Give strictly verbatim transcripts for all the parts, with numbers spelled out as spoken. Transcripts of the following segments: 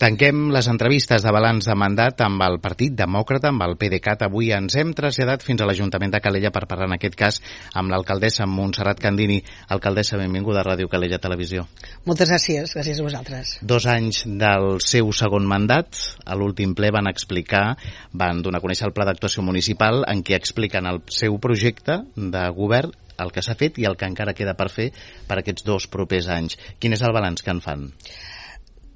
Tanquem les entrevistes de balanç de mandat amb el Partit Demòcrata, amb el PDeCAT. Avui ens hem traslladat fins a l'Ajuntament de Calella per parlar en aquest cas amb l'alcaldessa Montserrat Candini. Alcaldessa, benvinguda a Ràdio Calella Televisió. Moltes gràcies, gràcies a vosaltres. Dos anys del seu segon mandat. A l'últim ple van explicar, van donar a conèixer el pla d'actuació municipal en què expliquen el seu projecte de govern, el que s'ha fet i el que encara queda per fer per aquests dos propers anys. Quin és el balanç que en fan?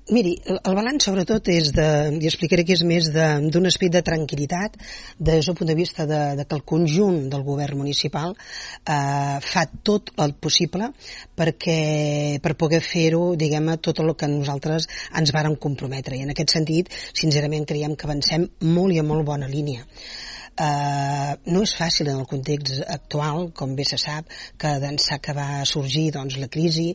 Miri, el balanç sobretot és de, jo explicaré que és més d'un esperit de tranquil·litat des del punt de vista de, de que el conjunt del govern municipal eh, fa tot el possible perquè, per poder fer-ho, diguem-ne, tot el que nosaltres ens vàrem comprometre. I en aquest sentit, sincerament, creiem que avancem molt i a molt bona línia. Uh, no és fàcil en el context actual, com bé se sap, que d'ençà que va sorgir doncs, la crisi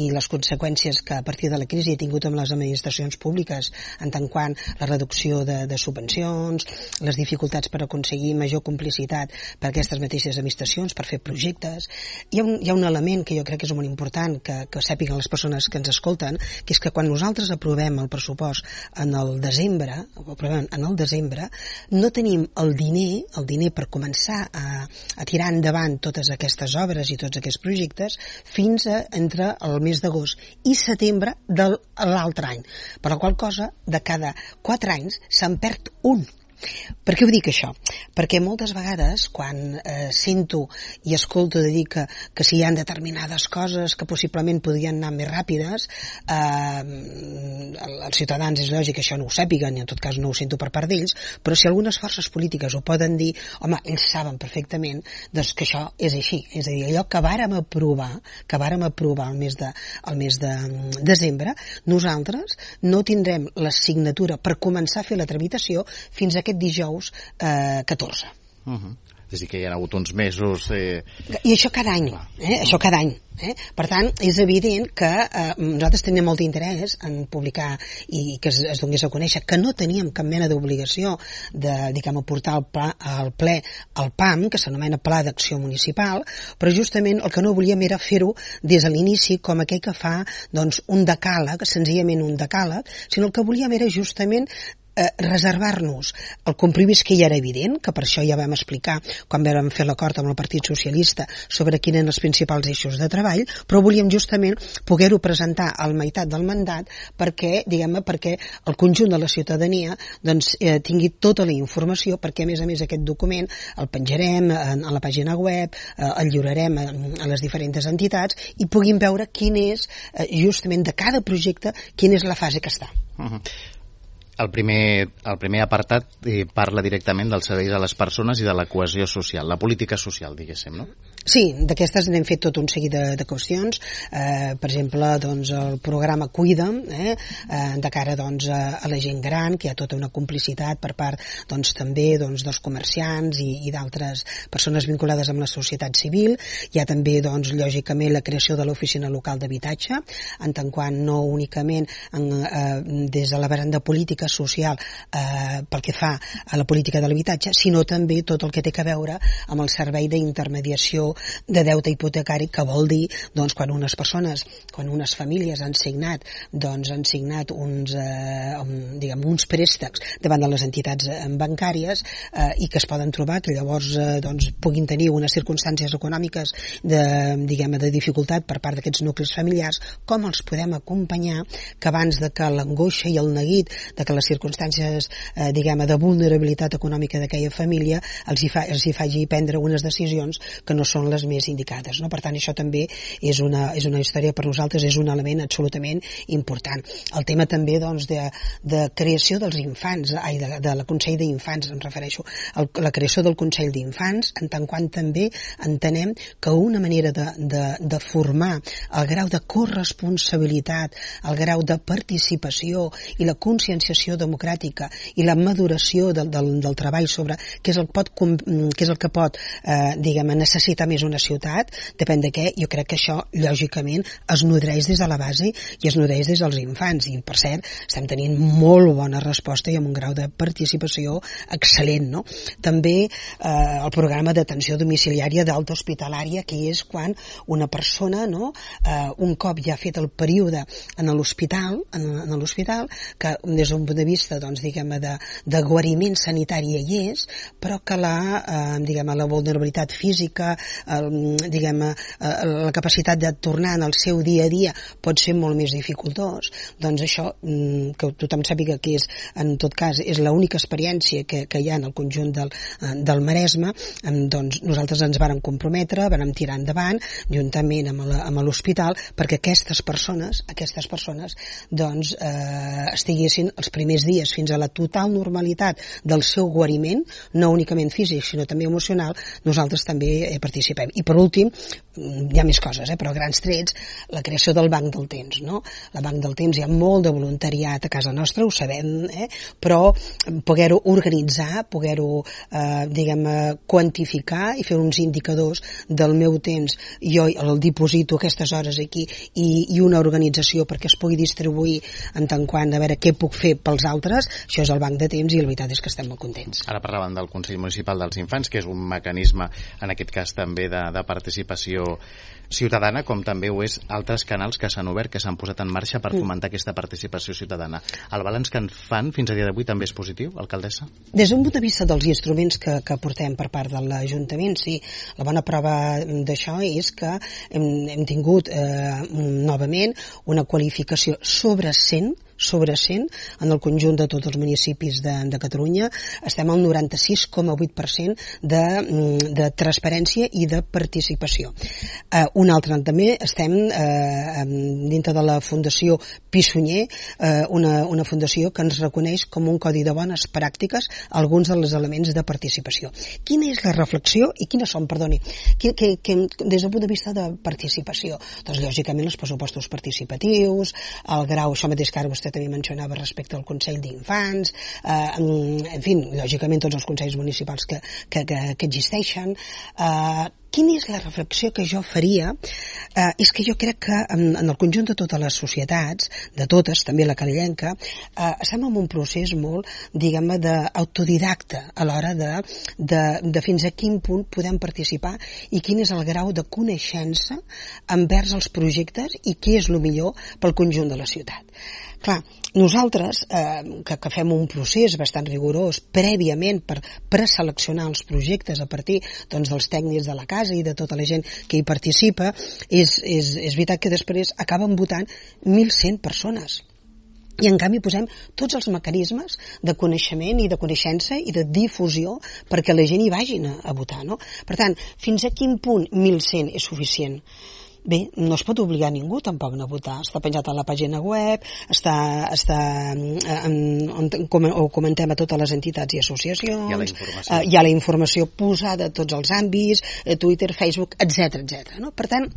i les conseqüències que a partir de la crisi ha tingut amb les administracions públiques, en tant quant la reducció de, de subvencions, les dificultats per aconseguir major complicitat per aquestes mateixes administracions, per fer projectes. Hi ha un, hi ha un element que jo crec que és molt important que, que sàpiguen les persones que ens escolten, que és que quan nosaltres aprovem el pressupost en el desembre, o aprovem en el desembre, no tenim el diner el diner per començar a, a tirar endavant totes aquestes obres i tots aquests projectes fins a entre el mes d'agost i setembre de l'altre any. Per la qual cosa, de cada quatre anys se'n perd un. Per què ho dic això? Perquè moltes vegades quan eh, sento i escolto de dir que, que si hi ha determinades coses que possiblement podrien anar més ràpides, eh, els ciutadans és lògic que això no ho sàpiguen i en tot cas no ho sento per part d'ells, però si algunes forces polítiques ho poden dir, home, ells saben perfectament doncs, que això és així. És a dir, allò que vàrem aprovar, que vàrem aprovar el mes de, el mes de desembre, nosaltres no tindrem la signatura per començar a fer la tramitació fins a aquest dijous eh, catorze. Uh-huh. És a dir, que hi ha hagut uns mesos... Eh... I això cada any, eh? això cada any. Eh? Per tant, és evident que eh, nosaltres tenim molt d'interès en publicar i que es, es donés a conèixer que no teníem cap mena d'obligació de, diguem, portar al, pla, al ple el P A M, que s'anomena Pla d'Acció Municipal, però justament el que no volíem era fer-ho des de l'inici com aquell que fa doncs, un decàleg, senzillament un decàleg, sinó el que volíem era justament Eh, reservar-nos el compromís que ja era evident, que per això ja vam explicar quan vam fer l'acord amb el Partit Socialista sobre quins eren els principals eixos de treball, però volíem justament poder-ho presentar a la meitat del mandat perquè, diguem-ne, perquè el conjunt de la ciutadania doncs, eh, tingui tota la informació, perquè a més a més aquest document el penjarem en, a la pàgina web, eh, el lliurarem a, a les diferents entitats i puguin veure quin és, eh, justament de cada projecte, quina és la fase que està. Uh-huh. El primer, el primer apartat eh, parla directament dels serveis a les persones i de la cohesió social, la política social, diguéssim, no? Sí, d'aquestes n'hem fet tot un seguit de, de qüestions, eh, per exemple, doncs, el programa Cuida'm, eh, eh, de cara doncs, a, a la gent gran, que hi ha tota una complicitat per part doncs, també doncs, dels comerciants i, i d'altres persones vinculades amb la societat civil. Hi ha també, doncs, lògicament, la creació de l'oficina local d'habitatge, en tant quant no únicament en, eh, des de la vessant de política social eh, pel que fa a la política de l'habitatge, sinó també tot el que té a veure amb el servei d'intermediació de deute hipotecari, que vol dir doncs, quan unes persones, quan unes famílies han signat, doncs, han signat uns, eh, un, diguem, uns préstecs davant de les entitats bancàries eh, i que es poden trobar que llavors eh, doncs, puguin tenir unes circumstàncies econòmiques de, diguem, de dificultat per part d'aquests nuclis familiars, com els podem acompanyar que abans de que l'angoixa i el neguit de que les circumstàncies eh, diguem, de vulnerabilitat econòmica d'aquella família els hi, fa, els hi faci prendre unes decisions que no són les més indicades, no? Per tant, això també és una, és una història per nosaltres, és un element absolutament important. El tema també doncs, de, de creació dels infants, ai, de, de la Consell d'Infants, em refereixo, el, la creació del Consell d'Infants, en tant quant també entenem que una manera de, de, de formar el grau de corresponsabilitat, el grau de participació i la conscienciació democràtica i la maduració del, del, del treball sobre què és el, pot, què és el que pot eh, diguem, necessitar més una ciutat, depèn de què, jo crec que això, lògicament, es nodreix des de la base i es nodreix des dels infants. I, per cert, estem tenint molt bona resposta i amb un grau de participació excel·lent, no? També eh, el programa d'atenció domiciliària d'alta hospitalària, que és quan una persona, no, eh, un cop ja ha fet el període en l'hospital, en, en l'hospital, que des d'un punt de vista, doncs, diguem, de, de guariment sanitari hi és, però que la, eh, diguem, la vulnerabilitat física, el, diguem, eh, la capacitat de tornar en el seu dia a dia pot ser molt més dificultós. Doncs això, que tothom sàpiga que és, en tot cas, és l'única experiència que, que hi ha en el conjunt del, del Maresme, doncs nosaltres ens vàrem comprometre, vàrem tirar endavant, juntament amb l'hospital, perquè aquestes persones, aquestes persones, doncs, eh, estiguessin els primers dies fins a la total normalitat del seu guariment, no únicament físic, sinó també emocional, nosaltres també eh, participem. I per últim, hi ha més coses, eh, però a grans trets, la creació del Banc del Temps, no? La Banc del Temps, hi ha molt de voluntariat a casa nostra, ho sabem, eh, però poder-ho organitzar, poder-ho, eh, diguem, quantificar i fer uns indicadors del meu temps, jo el diposito aquestes hores aquí i, i una organització perquè es pugui distribuir en tant quant a veure què puc fer pels altres, això és el Banc de Temps i la veritat és que estem molt contents. Ara parlaven del Consell Municipal dels Infants, que és un mecanisme, en aquest cas també de, de participació ciutadana, com també ho és altres canals que s'han obert, que s'han posat en marxa per fomentar aquesta participació ciutadana. El balanç que en fan fins a dia d'avui també és positiu, alcaldessa? Des d'un punt de vista dels instruments que, que portem per part de l'Ajuntament, sí, la bona prova d'això és que hem, hem tingut eh, novament una qualificació sobre cent sobre cent en el conjunt de tots els municipis de, de Catalunya. Estem al noranta-sis coma vuit per cent de, de transparència i de participació. Eh, un altre també estem eh, dintre de la Fundació Pissunyer, eh, una, una fundació que ens reconeix com un codi de bones pràctiques alguns dels elements de participació. Quina és la reflexió i quines són, perdoni, que, que, que, des del punt de vista de participació? Doncs lògicament els pressupostos participatius, el grau, això mateix que ara vostè també mencionava respecte al Consell d'Infants, eh, en fi, lògicament tots els consells municipals que, que, que, que existeixen. Eh, quina és la reflexió que jo faria? Eh, és que jo crec que en, en el conjunt de totes les societats, de totes, també la calellenca, eh, estem en un procés molt, diguem-ne, d'autodidacta a l'hora de, de, de fins a quin punt podem participar i quin és el grau de coneixença envers els projectes i què és el millor pel conjunt de la ciutat. Clar, nosaltres, eh, que, que fem un procés bastant rigorós prèviament per preseleccionar els projectes a partir, doncs, dels tècnics de la casa i de tota la gent que hi participa, és, és, és veritat que després acaben votant mil cent persones. I en canvi posem tots els mecanismes de coneixement i de coneixença i de difusió perquè la gent hi vagin a, a votar, no? Per tant, fins a quin punt mil cent és suficient? Bé, no es pot obligar ningú tampoc a votar. Està penjat a la pàgina web, està, està en, on, com, o comentem a totes les entitats i associacions, hi ha la informació, eh, hi ha la informació posada a tots els àmbits, eh, Twitter, Facebook, etcètera, etcètera, no? Per tant,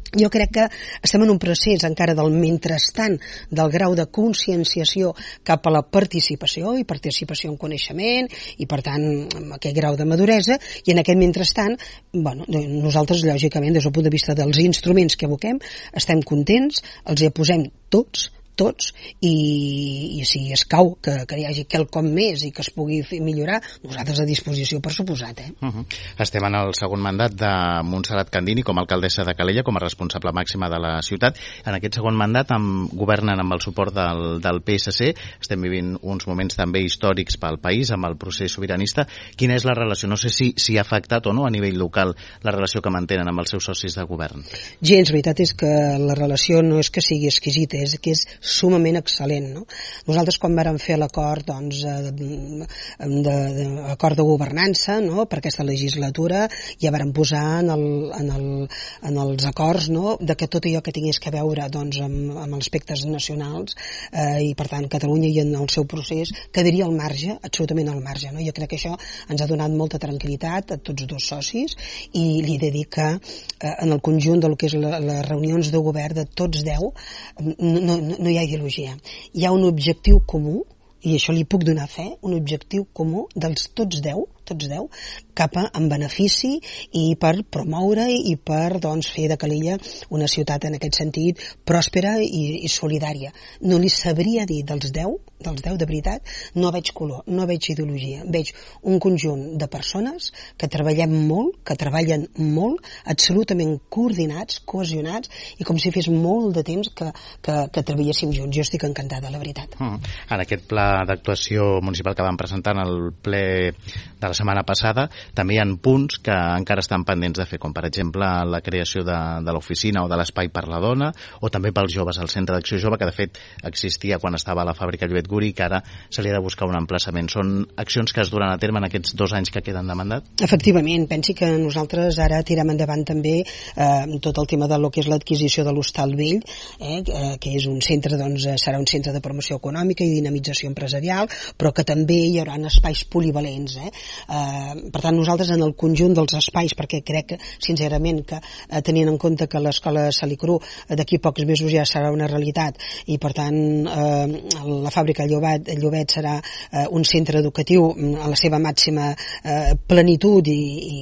jo crec que estem en un procés encara del mentrestant del grau de conscienciació cap a la participació i participació en coneixement i per tant amb aquest grau de maduresa i en aquest mentrestant bueno, nosaltres lògicament des del punt de vista dels instruments que aboquem estem contents, els hi posem tots tots, i, i si escau que, que hi hagi quelcom més i que es pugui fer millorar, nosaltres a disposició per suposat. Eh? Uh -huh. Estem en el segon mandat de Montserrat Candini com a alcaldessa de Calella, com a responsable màxima de la ciutat. En aquest segon mandat amb, governen amb el suport del, del P S C, estem vivint uns moments també històrics pel país amb el procés sobiranista. Quina és la relació? No sé si, si ha afectat o no a nivell local la relació que mantenen amb els seus socis de govern. Gens, la veritat és que la relació no és que sigui exquisita, és que és sumament excel·lent, no? Nosaltres quan vàrem fer l'acord doncs, de, de, de, acord de governança, no? Per aquesta legislatura ja vàrem posar en, el, en, el, en els acords, no? De que tot allò que tingués que veure doncs, amb, amb aspectes nacionals eh, i per tant Catalunya i en el seu procés quedaria al marge, absolutament al marge, no? Jo crec que això ens ha donat molta tranquil·litat a tots dos socis i li he de dir que eh, en el conjunt del que és la, les reunions de govern de tots deu no, no, no hi ha ideologia. Hi ha un objectiu comú, i això li puc donar fe, un objectiu comú dels tots deu, tots deu, cap a, en benefici i per promoure i per doncs, fer de Calella una ciutat en aquest sentit pròspera i, i solidària. No li sabria dir dels deu, dels deu de veritat, no veig color, no veig ideologia, veig un conjunt de persones que treballem molt, que treballen molt, absolutament coordinats, cohesionats, i com si fes molt de temps que, que, que treballéssim junts. Jo estic encantada, la veritat. Mm. En aquest pla d'actuació municipal que vam presentar en el ple de la setmana passada, també hi ha punts que encara estan pendents de fer, com per exemple la creació de, de l'oficina o de l'espai per la dona, o també pels joves, el Centre d'Acció Jove, que de fet existia quan estava a la fàbrica Llobet Guri, que ara se li ha de buscar un emplaçament. Són accions que es duran a terme en aquests dos anys que queden de mandat? Efectivament, pensi que nosaltres ara tirem endavant també eh, tot el tema de lo que és l'adquisició de l'Hostal Vell, eh, que és un centre, doncs, serà un centre de promoció econòmica i dinamització empresarial, però que també hi haurà espais polivalents. Eh? Eh, per tant, nosaltres en el conjunt dels espais, perquè crec que, sincerament, que eh, tenint en compte que l'escola Salicru d'aquí pocs mesos ja serà una realitat i, per tant, eh, la fàbrica Llobet, Llobet serà eh, un centre educatiu a la seva màxima eh, plenitud i,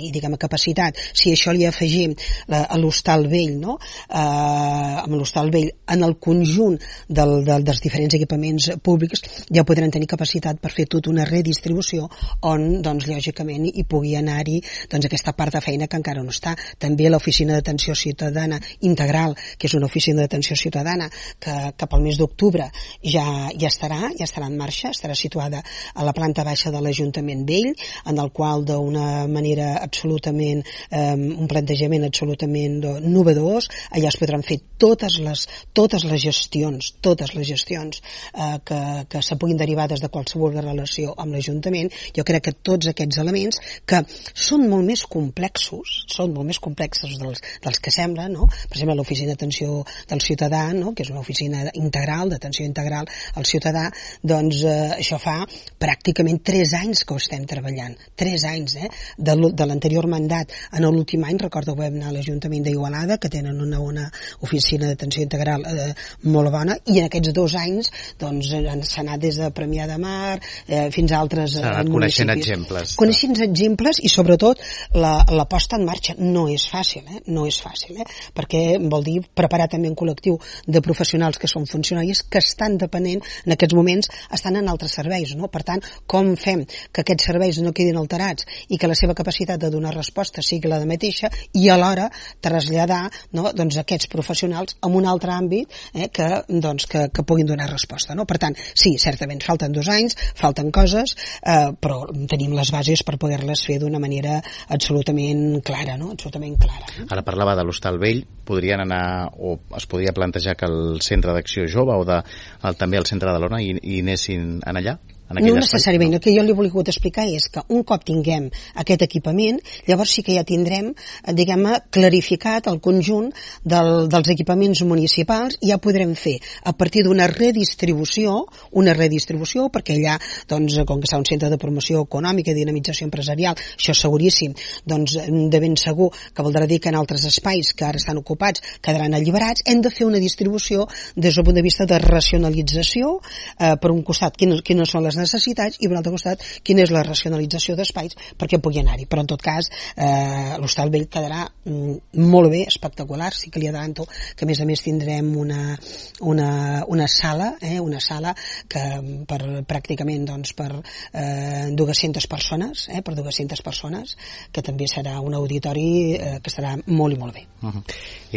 i diguem, capacitat. Si això li afegim la, a l'Hostal Vell, no? eh, amb l'Hostal Vell, en el conjunt del, del, dels diferents equipaments públics ja podran tenir capacitat per fer tota una redistribució on, doncs, lògicament hi pugui anar-hi doncs, aquesta part de feina que encara no està. També l'oficina d'atenció ciutadana integral, que és una oficina d'atenció ciutadana que cap al mes d'octubre ja, ja estarà, ja estarà en marxa, estarà situada a la planta baixa de l'Ajuntament Vell, en el qual d'una manera absolutament, eh, un plantejament absolutament novedós, allà es podran fer totes les, totes les gestions, totes les gestions eh, que, que se puguin derivar des de qualsevol relació amb l'Ajuntament. Jo crec que tots aquests elements que són molt més complexos, són molt més complexos dels, dels que semblen, no? Per exemple, l'oficina d'atenció del ciutadà, no? Que és una oficina integral, d'atenció integral al ciutadà, doncs eh, això fa pràcticament tres anys que ho estem treballant, tres anys, eh? De, de l'anterior mandat. En l'últim any, recordo que vam anar a l'Ajuntament d'Igualada, que tenen una, una oficina d'atenció integral eh, molt bona, i en aquests dos anys doncs s'ha anat des de Premià de Mar eh, fins a altres eh, municipis. Coneixent exemples. Coneixent exemples i sobretot la, la posta en marxa no és fàcil, eh? no és fàcil, eh? Perquè vol dir preparar també un col·lectiu de professionals que són funcionaris que estan depenent, en aquests moments estan en altres serveis, no? Per tant, com fem que aquests serveis no quedin alterats i que la seva capacitat de donar resposta sigui la de mateixa i alhora traslladar, no? Doncs aquests professionals en un altre àmbit eh, que, doncs, que, que puguin donar resposta, no? Per tant, sí, certament falten dos anys, falten coses, eh, però tenim les bases per poder-les fer d'una manera absolutament clara, no? Absolutament clara. No? Ara parlava de l'Hostal Vell, podrien anar, o es podria plantejar que el Centre d'Acció Jove o de, el, també el Centre de l'Ona hi, hi anessin en allà? No necessàriament, el que jo li he volgut explicar és que un cop tinguem aquest equipament, llavors sí que ja tindrem, diguem-ne, clarificat el conjunt del, dels equipaments municipals i ja podrem fer, a partir d'una redistribució, una redistribució, perquè allà, doncs, com que està un centre de promoció econòmica i dinamització empresarial, això és seguríssim, doncs, de ben segur que voldrà dir que en altres espais que ara estan ocupats quedaran alliberats, hem de fer una distribució des del punt de vista de racionalització, eh, per un costat, quines, quines són les necessitats i per l'altre costat quina és la racionalització d'espais perquè pugui anar-hi, però en tot cas eh, l'Hostal Vell quedarà mm, molt bé, espectacular. Sí que li adelanto que a més a més tindrem una, una, una sala eh, una sala que per pràcticament doncs, per eh, dues-centes persones eh, per dues-centes persones, que també serà un auditori eh, que estarà molt i molt bé. Uh-huh.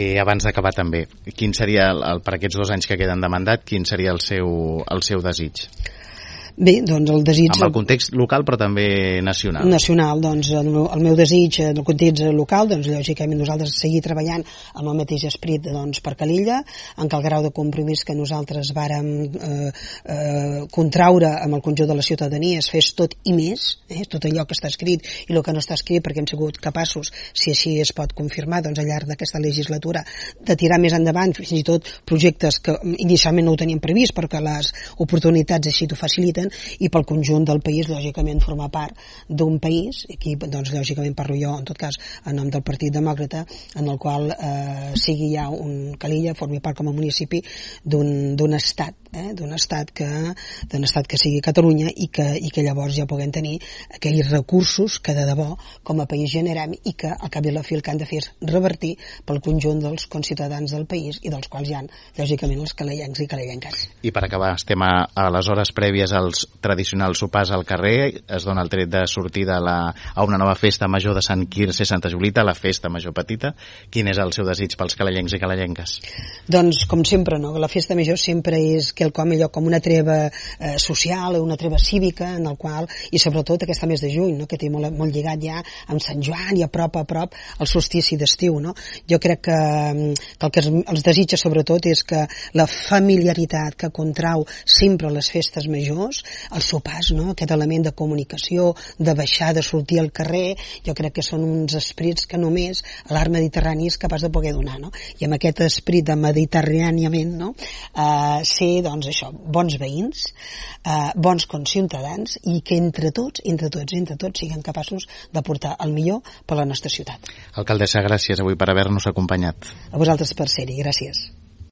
I abans d'acabar també, quin seria el, el, per aquests dos anys que queden de mandat, quin seria el seu, el seu desig? Bé, doncs el desig... Amb el context local, però també nacional. Nacional, doncs el meu, el meu desig en el context local, doncs lògicament nosaltres seguir treballant amb el mateix esperit doncs, per Calella, en què el grau de compromís que nosaltres vàrem eh, eh, contraure amb el conjunt de la ciutadania es fes tot i més, eh, tot allò que està escrit i el que no està escrit, perquè hem sigut capaços, si així es pot confirmar, doncs al llarg d'aquesta legislatura, de tirar més endavant fins i tot projectes que inicialment no ho teníem previst, perquè les oportunitats així t'ho faciliten, important, i pel conjunt del país, lògicament, formar part d'un país, aquí, doncs, lògicament parlo jo, en tot cas, en nom del Partit Demòcrata, en el qual eh, sigui ja un Calella, formi part com a municipi d'un estat, eh, d'un estat que d'un estat que sigui Catalunya, i que, i que llavors ja puguem tenir aquells recursos que de debò com a país generem, i que al cap i a la fi el que han de fer és revertir pel conjunt dels conciutadans del país, i dels quals hi ha, lògicament, els calellencs i calellenques. I per acabar, estem a, a les hores prèvies als tradicionals sopars al carrer, es dona el tret de sortida a, la, a una nova festa major de Sant Quirze i Santa Julita, la festa major petita. Quin és el seu desig pels calellencs i calellenques? Doncs, com sempre, no? La festa major sempre és quelcom allò com una treva eh, social, una treva cívica, en el qual, i sobretot aquesta mes de juny, no? Que té molt, molt lligat ja amb Sant Joan, i a prop a prop el solstici d'estiu, no? Jo crec que, que el que els desitja sobretot és que la familiaritat que contrau sempre les festes majors, els sopars, no? Aquest element de comunicació, de baixar, de sortir al carrer, jo crec que són uns esprits que només l'art mediterrani és capaç de poder donar, no? I amb aquest esprit de mediterràniament, no? Eh, ser, doncs, això, bons veïns, eh, bons conciutadans, i que entre tots, entre tots, entre tots siguem capaços de portar el millor per la nostra ciutat. Alcaldessa, gràcies avui per haver-nos acompanyat. A vosaltres per ser-hi, gràcies.